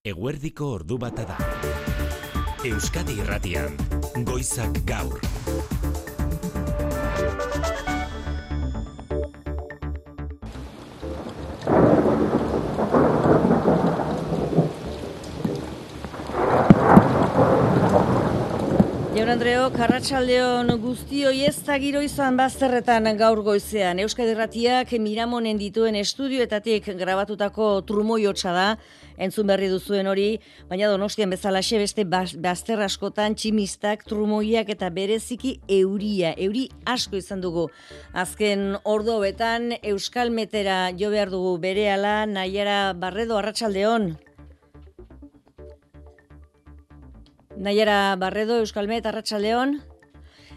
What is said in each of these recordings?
Eguerdiko ordu bata da. Euskadi Irratian, Goizak Gaur. Jaun Andreok, arratsaldeon guztioi, ez da giro izan bazterretan gaur goizean. Euskadi Irratiak Miramonen dituen estudioetatik grabatutako trumoiotsa da, entzun berri duzuen hori, baina Donostian bezalaxe beste bazter askotan tximistak, trumoiak eta bereziki euria. Euri asko izan dugu. Azken ordu hauetan Euskalmetera jo behar dugu berehala. Naiara Barredo, arratsaldeon. Naiara Barredo, Euskalmet, arratsaldeon.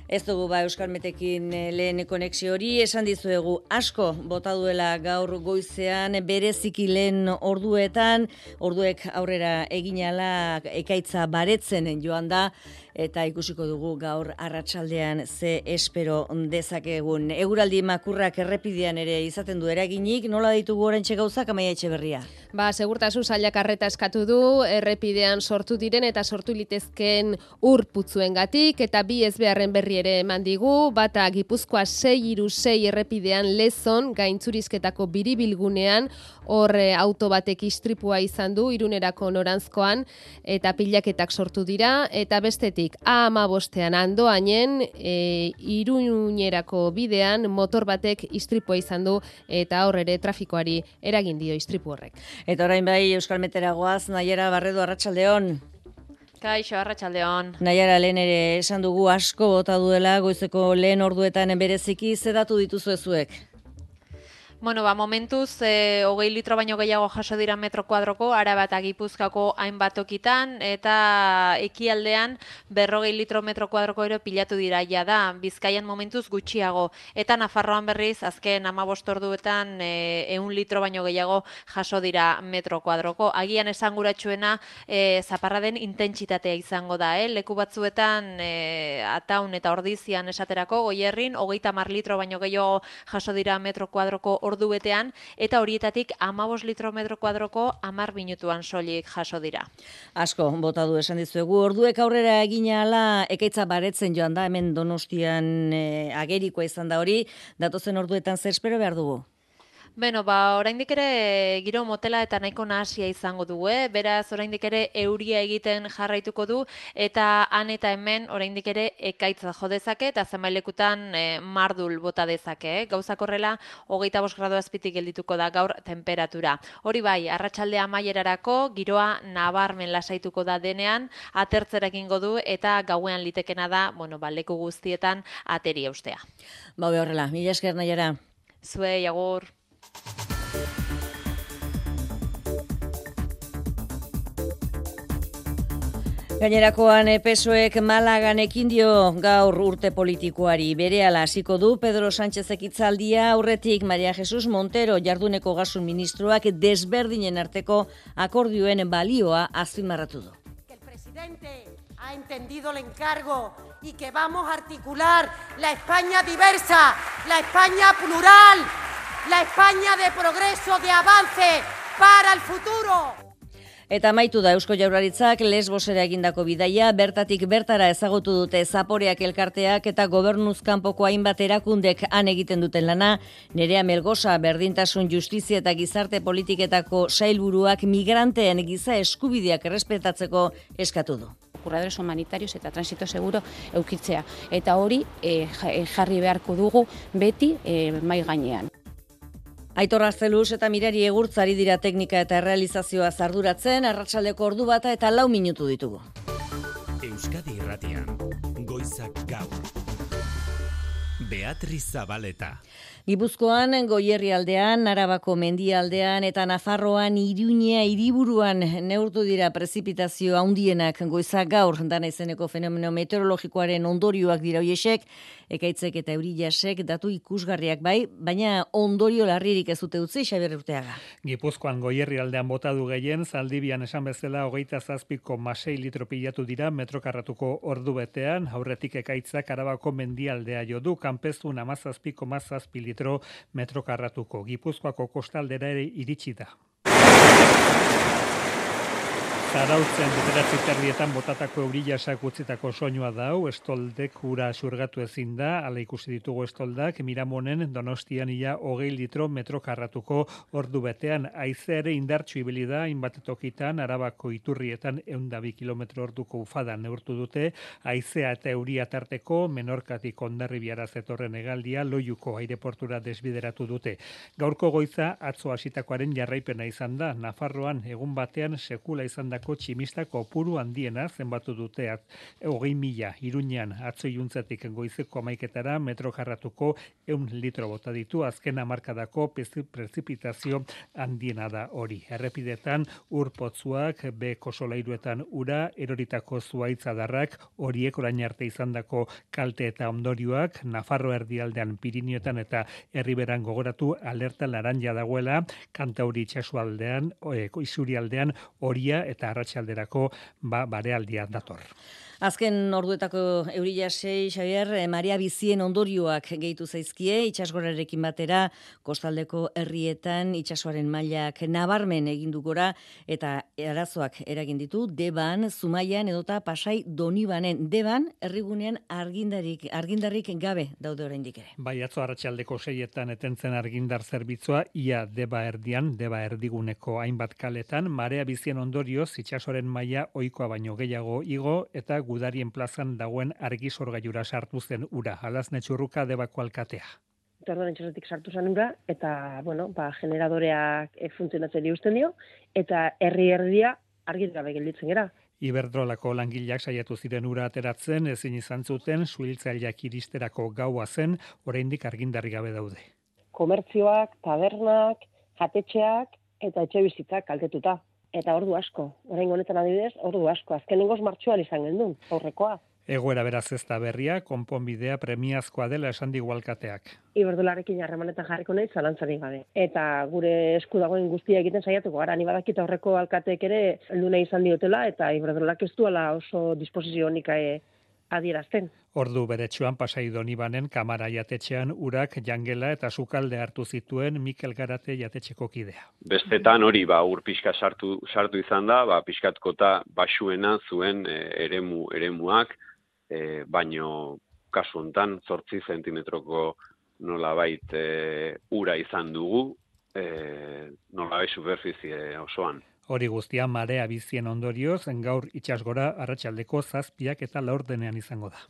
Ez dugu Euskalmetekin lehen konexio hori, esan dizuegu asko bota duela gaur goizean, bereziki lehen orduek aurrera eginala ekaitza baretzen joan da, eta ikusiko dugu gaur arratsaldean ze espero dezakegun. Eguraldi makurrak errepidean ere izaten du eraginik, nola ditugu oraintxe gauzak, Amaia Etxeberria? Segurtasun sailak arreta eskatu du, errepidean sortu diren eta sortu litezkeen ur putzuengatik, eta bi ezbeharren berri ere eman digu, bata Gipuzkoa 636 errepidean Lezon, gaintzurizketako biribilgunean, hor auto batek istripua izan du, Irunerako noranzkoan, eta pilaketak sortu dira, eta bestetik A15ean Andoainen, Irunerako bidean, motor batek istripua izan du, eta hor ere trafikoari eragin dio istripu horrek. Eta orain bai Euskalmetera goaz, Naiara Barredo, arratsaldeon. Kaixo, arratsaldeon. Naiara, lehen ere esan dugu asko bota duela, goizeko lehen orduetan bereziki, ze datu dituzu zuek? Momentuz, 20 litro baino gehiago jaso dira metro kuadroko, Araba eta Gipuzkoako hainbat tokitan, eta ekialdean 40 litro metro kuadroko ero pilatu dira da, Bizkaian momentuz gutxiago, eta Nafarroan berriz, azken 15 orduetan 100 litro baino gehiago jaso dira metro kuadroko. Agian esanguratsuena zaparraden intentsitatea izango da, leku batzuetan Ataun eta Ordizian esaterako, Goierrin, 30 litro baino gehiago jaso dira metro kuadroko ordubetean, eta horietatik 15 litro metro kuadroko 10 minutuan soilik jaso dira. Asko bota du esan dizuegu, orduek aurrera egina ala ekaitza baretzen joan da, hemen Donostian agerikoa izan da hori, datozen orduetan zer espero behar dugu? Oraindik ere giro motela eta nahiko nahasia izango du, beraz oraindik ere euria egiten jarraituko du, eta han eta hemen oraindik ere ekaitza jo dezake, eta zenbailekutan mardul bota dezake. Gauzak horrela, 25 gradu azpitik geldituko da gaur temperatura. Hori bai, arratsalde amaierarako giroa nabarmen lasaituko da denean, atertzera egingo du, eta gauean litekena da, leku guztietan ateri eustea. Horrela, mila esker, Naiara. Zuei, agur. Gainerakoan PSOEk Malagan ekin dio gaur urte politikoari. Berehala hasiko du Pedro Sánchezek hitzaldia, aurretik María Jesús Montero jarduneko gasun ministroak desberdinen arteko akordioen balioa azpimarratu du. El presidente ha entendido el encargo y que vamos a articular la España diversa, la España plural, la España de progreso, de avance para el futuro. Eta amaitu da Eusko Jaurlaritzak Lesbosera egindako bidaia, bertatik bertara ezagutu dute Zaporeak elkarteak eta gobernuz kanpoko hainbat erakundek han egiten duten lana. Nerea Melgosa, berdintasun, justizia eta gizarte politiketako sailburuak migranteen giza eskubideak errespetatzeko eskatu du. Curadores humanitarios eta transito seguro eukitzea. Eta hori jarri beharko dugu beti mai gainean. Aitor Arzeluz eta Mirari Egurtzari dira teknika eta errealizazioa arduratzen, arratsaldeko ordu bata eta 4 minutu ditugu. Euskadi Irratian, Goizak Gaur. Beatriz Zabaleta. Gipuzkoan, Goierrialdean, Arabako mendialdean eta Nafarroan Iruña hiriburuan neurtu dira prezipitazio handienak goizak gaur, dana izeneko fenomeno meteorologikoaren ondorioak dira hoiesek, ekaitzek eta eurillasek datu ikusgarriak bai, baina ondorio larririk ez dute utzi, Xabier Urteaga. Gipuzkoan Goierrialdean bota du gehien, Zaldibian esan bezala 27,6 litro pilatu dira metrokarratuko ordubetean, aurretik ekaitzak Arabako mendialdea jo du, Kanpezun 17,7 litro metrokarratuko. Gipuzkoako kostaldera ere iritsi da. Zarautzen 9:30 botatako eurilasak utzitako soinua da hau, estoldek ura xurgatu ezin da, hala ikusi ditugu estoldak, Miramonen Donostian ia 20 litro metro karratuko ordu betean, haizea ere indartsu ibili da, hainbat tokitan, Arabako iturrietan 102 kilometro orduko ufada neurtu dute, haizea eta euria tarteko, Menorkatik Hondarribiara zetorren hegaldia, Loiuko aireportura desbideratu dute. Gaurko goiza atzo hasitakoaren jarraipena izan da, Nafarroan egun batean sekula izandako tximista kopuru handiena zenbatu dute 20.000, Iruñean atzo iluntzetik goizeko 11etara metro karratuko 100 litro bota ditu, azken hamarkadako prezipitazio handiena da hori. Errepidetan urpotzuak, beko solairuetan ura, eroritako zuaitzadarrak, horiek orain arte izandako kalte eta ondorioak, Nafarro erdialdean, Pirinioetan eta Herriberan gogoratu alerta laranja dagoela, Kantauri itsasoaldean, Isurialdean horia eta arratsalderako barealdia dator. Azken orduetako eurillasei, Xabier, Maria Bizien ondorioak gehitu zaizkie, itsasgorarekin batera, kostaldeko herrietan itsasoaren mailak nabarmen egindu gora, eta arazoak eragin ditu, Deban, Zumaian edota Pasai Donibanen. Deban, herrigunean argindarrik gabe daude oraindik ere. Bai, atzo arratsaldeko 6etan etentzen argindar zerbitzua, ia Deba erdian, Deba erdiguneko hainbat kaletan, Marea Bizien ondorioz itsasoaren maila ohikoa baino gehiago igo, eta Gudarien plazan dagoen argisorgailura sartu zen ura. Alazne Txurruka Debako alkatea. Orduan itsasotik sartu zen ura, eta, generadoreak funtzionatzen uzten dio, eta herria argi gabe gelditzen gera. Iberdrolako langileak saiatu ziren ura ateratzen, ezin izan zuten, suhiltzaileak iristerako gaua zen, oraindik argindarri gabe daude. Komertzioak, tabernak, jatetxeak eta etxebizitzak kaltetuta. Eta ordu asko. Orain honetan adibidez, ordu asko. Azkenengoz martxoan izan gendun, aurrekoa. Egoera beraz ez da berria, konponbidea premiazkoa dela esan digu alkateak. Iberdrolarekin harremanetan jarriko nahi zalantzarik gabe. Eta gure esku dagoen guztia egiten saiatuko gara, ni badakit aurreko alkateek ere heldu nahi izan diotela, eta Iberdrolak ez duela oso disposizio honik adierazten. Ordu beretsuan Pasai Donibanen Kamara jatetxean urak jangela eta sukalde hartu zituen Mikel Garate jatetxeko kidea. Bestetan hori ur pixka sartu izan da, pixkatkota basuena zuen eremuak, baino kasu hontan 8 zentimetroko nolabait ura izan dugu, nolabait superfizie osoan. Hori guztia Marea Bizien ondorioz, gaur itsasgora arratsaldeko 7 eta 4 izango da.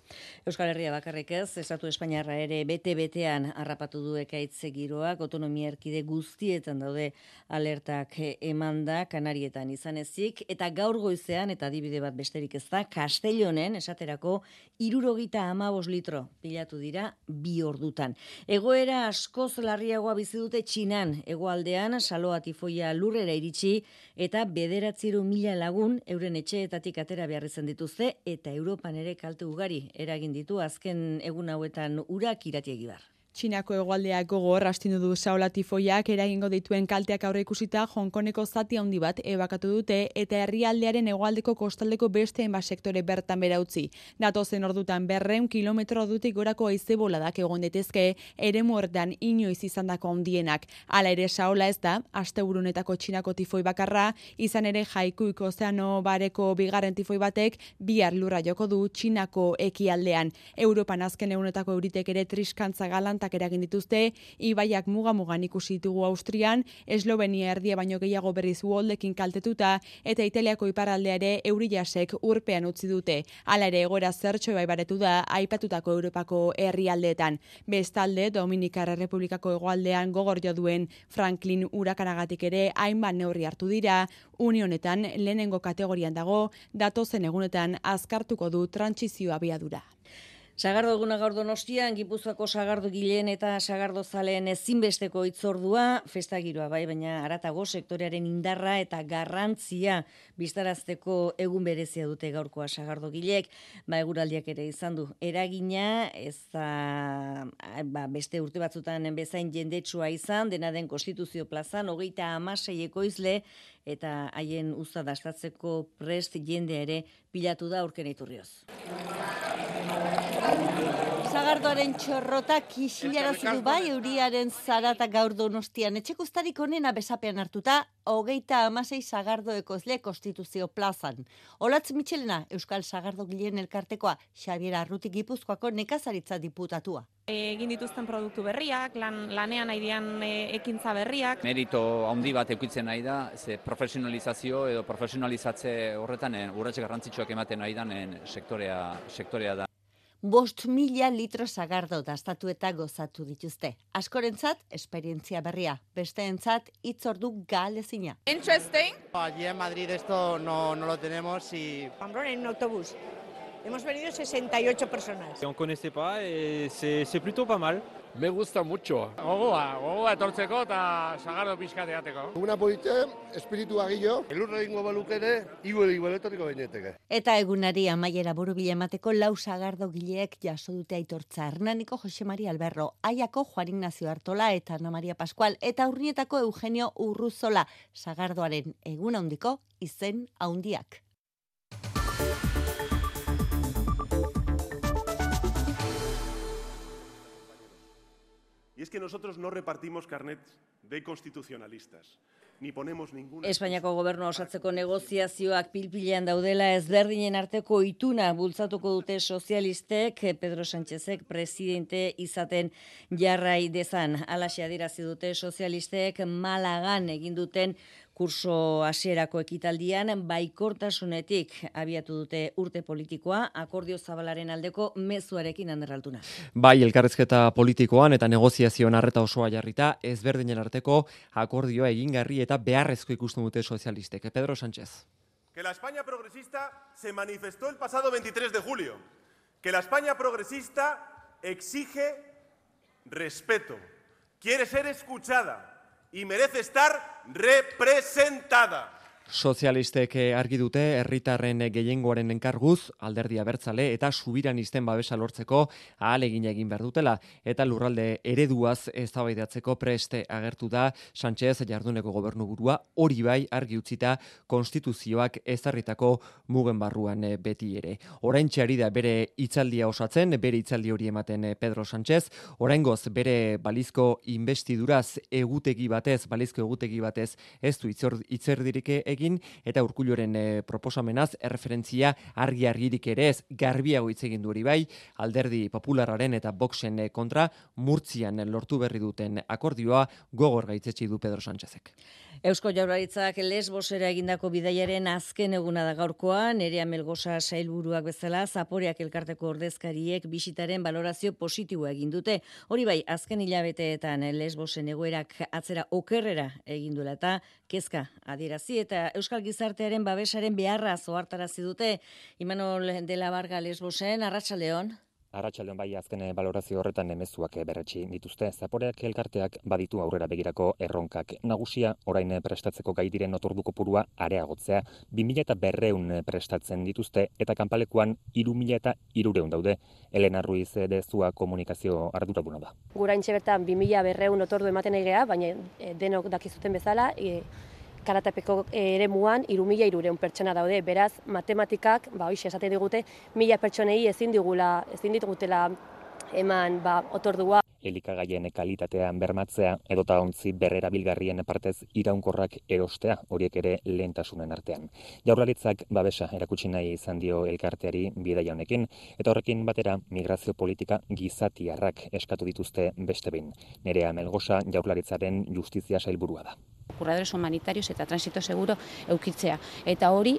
Euskal Herria bakarrik ez, Estatu Espainiarra ere bete-betean harrapatu du ekaitz giroak, autonomia erkide guztietan daude alertak emanda, Kanarietan izan ezik, eta gaur goizean, eta adibide bat besterik ez da, Castellonen, esaterako, 75 litro pilatu dira 2 ordutan. Egoera askoz larriagoa bizi dute Txinan, hegoaldean saloa tifoia lurrera iritsi, eta 900.000 lagun euren etxeetatik atera behar izan dituzte, eta Europan ere kalte ugari eragin ditu azken egun hauetan urak Irati Egibar. Txinako hegoaldeak gogor astindu du saola tifoiak eragingo dituen kalteak aurreikusita Hongkoneko zati handi bat ebakatu dute eta herrialdearen hegoaldeko kostaldeko beste hainbat sektore bertan behera utzi. Datozen ordutan 200 kilometro ordutik gorako haize boladak egon daitezke eremu horretan inoiz izandako handienak. Hala ere saola ez da asteburunetako Txinako tifoi bakarra, izan ere Jaikuik ozeano bareko bigarren tifoi batek bihar lurra joko du Txinako ekialdean. Europan azken egunetako euritek ere triskantza galantak eragin dituzte, ibaiak muga-mugan ikusi ditugu Austrian, Eslovenia erdia baino gehiago berriz uholdekin kaltetuta, eta Italiako iparraldea ere eurilasek urpean utzi dute. Hala ere egoera zertxo baibaretu da aipatutako Europako herrialdeetan. Bestalde, Dominikar Errepublikako hegoaldean gogor jo duen Franklin urakanagatik ere hainbat neurri hartu dira, unionetan lehenengo kategorian dago, datozen egunetan azkartuko du trantsizio abiadura. Sagardo eguna gaur Donostian, Gipuzkoako sagardo gileen eta sagardo zaleen ezinbesteko hitzordua, festa giroa bai, baina haratago sektorearen indarra eta garrantzia bistarazteko egun berezia dute gaurkoa sagardo gileek, eguraldiak ere izan du eragina, ez da beste urte batzutan bezain jendetsua izan, dena den Konstituzio plazan, 36 ekoizle, eta haien usta dastatzeko prest jendea ere pilatu da Urken Iturrioz. Sagardoaren txorrota kixilarazi du bai euriaren zarata gaur Donostian. Etxeko uztarik onena besapean hartuta, 36 sagardo ekozle Konstituzio plazan. Olatz Mitxelena, Euskal Sagardogileen elkartekoa, Xabier Arruti Gipuzkoako nekazaritza diputatua. Egin dituzten produktu berriak, lanean nahi dian ekintza berriak. Merito handi bat eukitzen nahi da, ze profesionalizazio edo profesionalizatze horretan urratxe garrantzitsuak ematen nahi den sektorea da. 5.000 litro sagardo dastatu eta gozatu dituzte. Askorentzat, esperientzia berria. Besteentzat, hitzordu galezina. Interesting. Allí en Madrid esto no lo tenemos y... Pamplona en un autobús. Hemos venido 68 personas. On connaissait pas et c'est plutôt pas mal. Me gusta mucho. Gogoa etortzeko eta sagardo pixka teateko. Una polite, espiritu agillo, elurra egingo balukene, igualetoriko baineteke. Eta egunari amaiera borobila emateko 4 sagardo gileek jaso dute aitortza. Hernaniko Jose Maria Alberro, Aiako Juan Ignacio Artola eta Ana Maria Pascual, eta Urnietako Eugenio Urruzola, sagardoaren egun handiko izen handiak. Y es que nosotros no repartimos carnets de constitucionalistas, ni ponemos ninguna... Espainiako gobernua osatzeko negoziazioak pilpilean daudela ezberdinen arteko ituna bultzatuko dute sozialistek Pedro Sánchezek presidente izaten jarrai dezan. Halaxe adierazi dute sozialistek Malagan egin duten kurso hasierako ekitaldian baikortasunetik abiatu dute urte politikoa, akordio zabalaren aldeko mezuarekin Anderralduna. Bai, elkarrizketa politikoan eta negoziazioan arreta osoa jarrita, ezberdinen arteko akordioa egingarri eta beharrezko ikusten dute sozialistek. Pedro Sánchez. Que la España progresista se manifestó el pasado 23 de julio. Que la España progresista exige respeto, quiere ser escuchada y merece estar representada. Sozialistek argi dute herritarren gehiengoaren enkarguz alderdi abertzale eta subiranisten babesa lortzeko ahalegin egin behar dutela eta lurralde ereduaz eztabaidatzeko preste agertu da Sánchez jarduneko gobernuburua, hori bai argi utzita konstituzioak ezarritako mugen barruan beti ere. Oraintxe ari da bere hitzaldia osatzen, bere hitzaldi hori ematen Pedro Sánchez, oraingoz bere balizko investiduraz balizko egutegi batez ez du hitzerdirik egin eta Urkulluren proposamenaz erreferentzia argi-argirik ere ez garbiago hitz egin du hori bai, alderdi popularraren eta Voxen kontra Murtzian lortu berri duten akordioa gogor gaitzetsi du Pedro Sánchezek. Eusko Jaurlaritzak Lesbosera egindako bidaiaren azken eguna da gaurkoa, Nerea Melgosa sailburuak bezala Zaporeak elkarteko ordezkariek bisitaren balorazio positiboa egin dute. Hori bai, azken hilabeteetan Lesbosen egoerak atzera okerrera egin duela eta kezka adierazi eta Euskal Gizartearen babesaren beharra ohartarazi dute. Imanol de la Varga Lesbosen, arratsaldeon. Arratsaldeon bai azken balorazio horretan mezuak berretsi dituzte. Zaporeak elkarteak baditu aurrera begirako erronkak. Nagusia orain prestatzeko gai diren otordu kopurua areagotzea. 2.200 prestatzen dituzte eta kanpalekuan 3.300 daude. Elena Ruiz Dezua komunikazio arduraduna da. Guraintxe bertan 2.200 otordu ematen egea, baina denok dakizuten bezala, karatapeko eremuan 3.300 pertsona daude, beraz matematikak, hoixe esaten digute, 1.000 pertsonei ezin digutela eman otordua. Elikagaien kalitatean bermatzea edota ontzi berrerabilgarrien partez iraunkorrak erostea, horiek ere lehentasunen artean. Jaurlaritzak babesa erakutsi nahi izan dio elkarteari bidaia honekin, eta horrekin batera migrazio politika gizatiarrak eskatu dituzte beste behin. Nerea Melgosa Jaurlaritzaren justizia sailburua da. Curadores humanitarios eta transito seguro eukitzea. Eta hori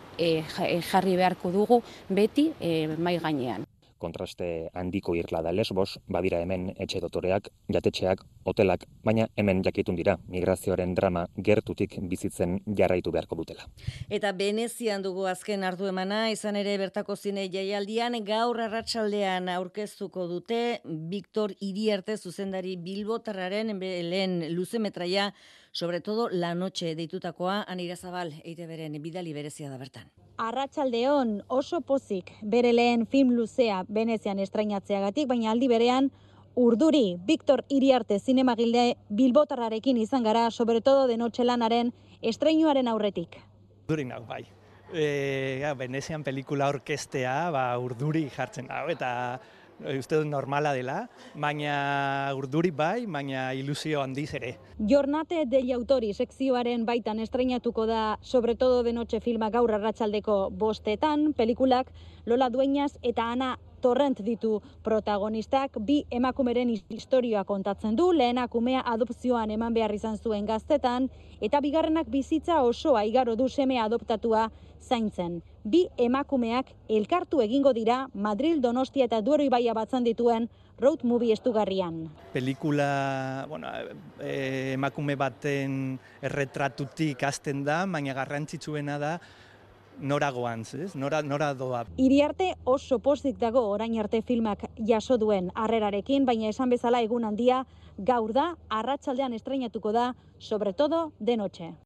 jarri beharko dugu beti mai gainean. Kontraste handiko irla da Lesbos, badira hemen etxe dotoreak, jatetxeak, hotelak, baina hemen jakitun dira migrazioaren drama gertutik bizitzen jarraitu beharko dutela. Eta Venezian dugu azken hartu emana, izan ere bertako zine jaialdian gaur arratsaldean aurkeztuko dute Victor Iriarte zuzendari bilbotarraren lehen luzemetraia, sobre todo La Noche deitutakoa, Anira Zabal, EITBren bidali berezia da bertan. Arratsaldeon oso pozik bere lehen film luzea Venezian estrainatzeagatik, baina aldi berean urduri Victor Iriarte zinemagile bilbotarrarekin izan gara, sobre todo de Noche lanaren estreinuaren aurretik. Urduri nau, bai. Venezian pelikula orkestea urduri jartzen dago, eta uste dut normala dela, baina urduri bai, baina ilusio handiz ere. Jornate degli autori sekzioaren baitan estreinatuko da Sobre todo de noche filma gaur arratsaldeko 5:00, pelikulak Lola Dueñas eta Ana Torrent ditu protagonistak, bi emakumeren istorioa kontatzen du, lehenak umea adopzioan eman behar izan zuen gaztetan, eta bigarrenak bizitza osoa igaro du seme adoptatua zaintzen. Bi emakumeak elkartu egingo dira Madril, Donostia eta Duero ibaia batzen dituen road movie estugarrian. Pelikula, emakume baten erretratutik hasten da, baina garrantzitsuena da nora goantz, nora doa. Iriarte oso pozik dago orain arte filmak jaso duen harrerarekin, baina esan bezala egun handia gaur da, arratsaldean estreinatuko da Sobre todo de noche.